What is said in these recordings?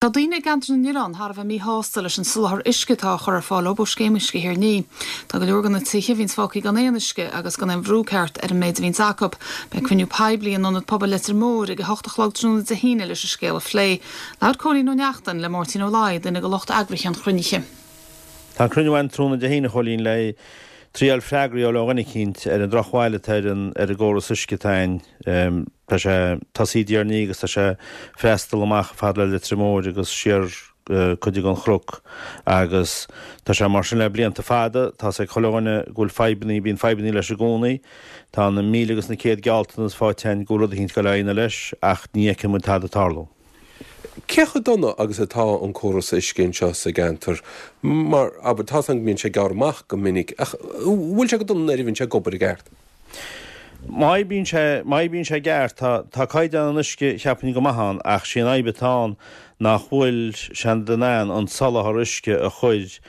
Tá daoine i gceantar na nOileán thar a bheith míshásta leis an soláthar uisce atá á chur ar fáil dóibh ó Scéim Uisce Thír an Fhia. Tá go leor de na tithe a bhíonns fágtha gan aon uisce agus gan aon bhrú ceart ar an méid a bhíonns acu. Beidh cruinniú poiblí in Ionad Pobail Leitir Móir ag 8 a chlog tráthnóna Dé hAoine leis an scéal a phlé. Labhair Cóilín Ó Neachtain le Máirtín Ó Laoi, duine de lucht eagraithe an chruinnithe. Tá an cruinniú ann tráthnóna Dé hAoine, a Chóilín, le triail freagraí a fháil ó dhuine eicínt ar an drochbhail atá ar an ar an gcóras uisce atá ann. Tá sé tosaithe i dTír an Fhia agus tá sé freastal amach fad le Leitir Móir agus siar cuid den Chnoc agus tá sé mar sin le blianta fada. Tá's ag chuile dhuine go bhfuil fadhbannaí, bíonn fadhbannaí leis i gcónaí. Tá na míle agus na céad gealltanas faighte againn go bhfuil rud eicínt ag dul a dhéanamh leis ach ní fheiceann muid tada ag tarlú. Cé chomh dona agus atá an córas uisce anseo sa gceantar? Mar, abair, tá's agam go mbíonn sé ag gearradh amach go minic ach bhfuil sé go dona nuair a bhíonn sé ag obair i gceart? Má oibríonn sé, má oibríonn sé i gceart, tá, tá caighdeán an uisce, cheapfainn, go maith ann, ach sí an fhadhb atá ann nach bhfuil siad in ann an soláthar uisce a chur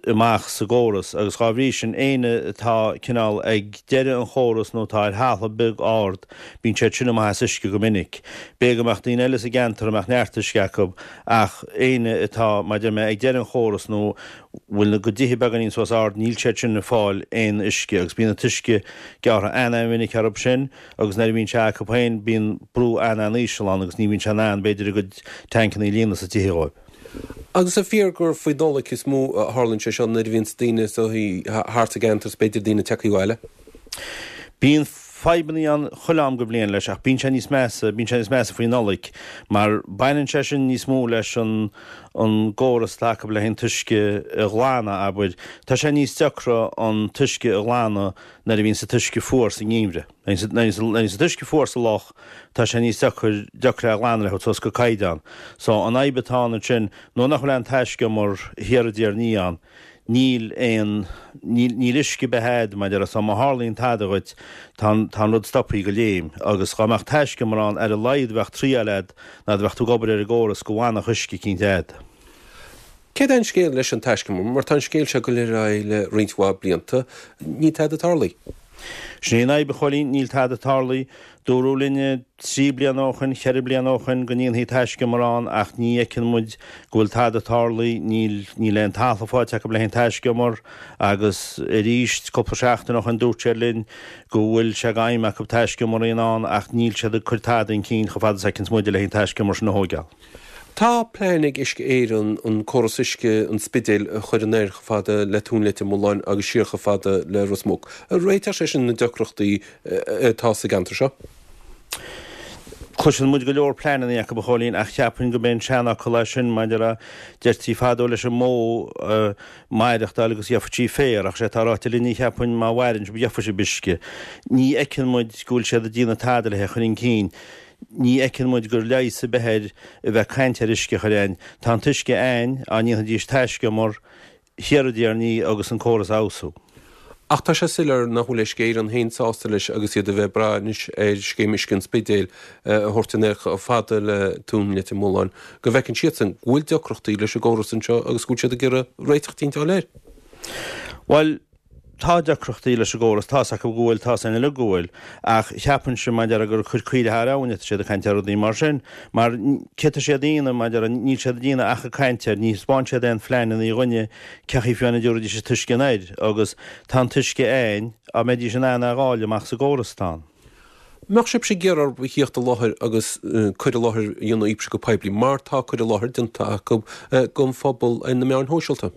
amach sa gcóras agus dhá bhrí sin, éinne atá cineál ag deireadh an chórais nó atá ar thalamh beag ard, bíonn siad sin amach as uisce go minic. B'fhéidir go mbeadh daoine eile sa gceantar a mbeadh neart uisce acu ach éinne atá, mar a deir mé, ag deireadh an chórais nó bhfuil a gcuid tithe beagáinín suas ard, níl siad sin ag fáil aon uisce agus bíonn an t-uisce gearrtha an-an-mhinic orthu sin agus nuair a bhíonn sé acu féin bíonn brú an-an-íseal ann agus ní bhíonn sé in ann b'fhéidir a gcuid tancanna a líonadh sa tithe dhóibh. Agus an fíor gur faoi Nollaig is mó a tharlaíonn sé seo nuair a bhíonns daoine is dóichí thart sa gceantar is b'fhéidir daoine tagtha abhaile? Bíonn fadhbannaí ann chuile am go bhliain leis ach bíonn sé níos measa, bíonn sé níos measa faoi Nollaig mar baineann sé sin níos mó leis an an gcóras atá acu le an t-uisce a ghlanadh, abair. Tá sé níos deacra an t-uisce a ghlanadh nuair a bhíonns an t-uisce fuar sa ngeimhreadh. Nuair a bhíonns an t-uisce fuar sa loch, tá sé níos deacair, deacra é a ghlanadh le thabhairt suas go caighdeán. So, an fhadhb atá ann ansin, nuair nach bhfuil aon taiscumar thiar i dTír an Fhia ann, níl aon, níl, níl uisce ar bith a'd, mar a déarfá, so má tharlaíonn tada dhuit, tá an, tá an rud stopthaí go léim. Agus dhá mbeadh taiscumar ann, ar a laghad bheadh triail a'd, nuair a bheadh tú ag obair ar an gcóras, go bhfanfadh uisce eicínt a'd. Céard é an scéal leis an taiscumar? Mar tá an scéal seo ag goil ar aghaidh le roinnt mhaith blianta, níl tada tarlaithe. Sin é an fhadhb, a Chóilín, níl tada tarlaithe. Dúradh linne trí bliana ó shoin, cheithre bliana ó shoin go ndéanfaí taiscumar ann ach ní fheiceann muid go bhfuil tada tarlaithe, níl, níl aon talamh faighte acu le haghaidh an taiscumar agus arís cúpla seachtain ó shoin dúirt siad linn go bhfuil sé d'aidhm acu taiscumar a dhéanamh ann ach níl siad ag cur tada chun cinn chomh fada is a fheiceanns muide le haghaidh an taiscumar sin a thóigeáil. Tá plean ag Uisce Éireann an córas uisce an Spidéil a chur anoir chomh fada le Tóin Leitir Mealláin agus siar chomh fada le Ros Muc. Réiteodh sé sin na deacrachtaí atá sa gceantar seo. Cloiseann muid go leor pleananna acu, a Chóilín, ach cheapfainn go b'é an seanfhocal é sin maidir a deirtí fadó leis an mbó maireachtáil agus gheobhaidh sí féar, ach sé atá ráite linne cheapfainn má mhaireann sibh gheobhaidh sibh uisce. Ní fheiceann muid go bhfuil siad ag déanamh tada le hé a chur chun cinn. Ní fheiceann muid gur leigheas ar bith air a bheith ag caint ar uisce a chur a'ainn. Tá an t-uisce a'ainn, dá ndéanfaidís taiscumar thiar i dTír an Fhia agus an córas a fheabhsú. Ach tá sé soiléir nach bhfuil Uisce Éireann féin sásta leis agus iad a bheith ag brath anois ar scéim uisce an Spidéil a thabhairt anoir chomh fada le Tóin Leitir Mealláin go bhfeiceann siadsan go bhfuil deacrachtaí leis an gcóras anseo agus go bhfuil siad ag iarraidh réiteach eicínt a fháil air. Bhuel, Tá deacrachtaí leis an gcóras, tá's acu go bhfuil, tá's againn uilig go bhfuil, ach cheapfainnse, mar a déarfá, gur ag cur caoirigh thar abhainn atá siad ag caint ar rudaí mar sin, mar céard tá siad a dhéanamh, mar a déarfá, níl siad ag déanamh ach ag caint air, ní thaispeánann siad aon phleananna dhúinne cén chaoi fiú amháin a dtabharfaidís an t-uisce anoir, agus tá an t-uisce a'ainn, dá mbeidís in ann é a dháileadh amach sa gcóras atá ann. Mbeadh sibhse ag iarraidh orthu a thíocht i láthair agus cur i láthair a dhéanamh daoibhse go poiblí, mar tá cur i láthair déanta acu don phobal ar na meáin shóisialta?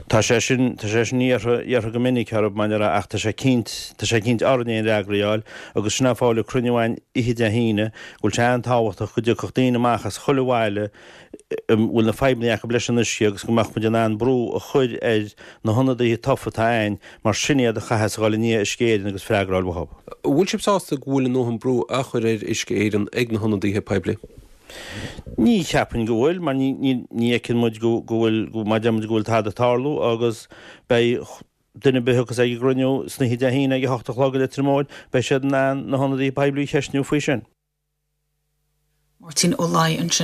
Tá sé sin, tá sé sin iarrtha, iarrtha go minic orthu, mar a déarfá, ach tá sé cinnt, tá sé cinnt orainn aon fhreagra a fháil agus sin an fáth a bhfuil cruinniú againn oíche Dé hAoine, go bhfuil sé an-tábhachtach go dtiocfadh daoine amach as chuile bhaile a bhfuil na fadhbanna acu leis an uisce agus go mbeadh muid in ann brú a chur ar na hionadaithe tofa atá againn mar sin iad a chaithfeas a dhul i ndiaidh Uisce Éireann agus freagra a fháil uathu. An bhfuil sibh sásta go bhfuil a ndóthain brú á chur ar Uisce Éireann ag na hionadaithe poiblí? Ní cheapfainn go bhfuil, mar ní fheiceann muid go bhfuil, mar a deir muid, go bhfuil tada ag tarlú agus beidh duine ar bith a thiocfas ag an gcruinniú san oíche Dé hAoine ag a hocht a chlog i Leitir Móir, beidh siad in ann na hionadaithe poiblí a cheistniú faoi sin. Máirtín Ó Laoi ansin.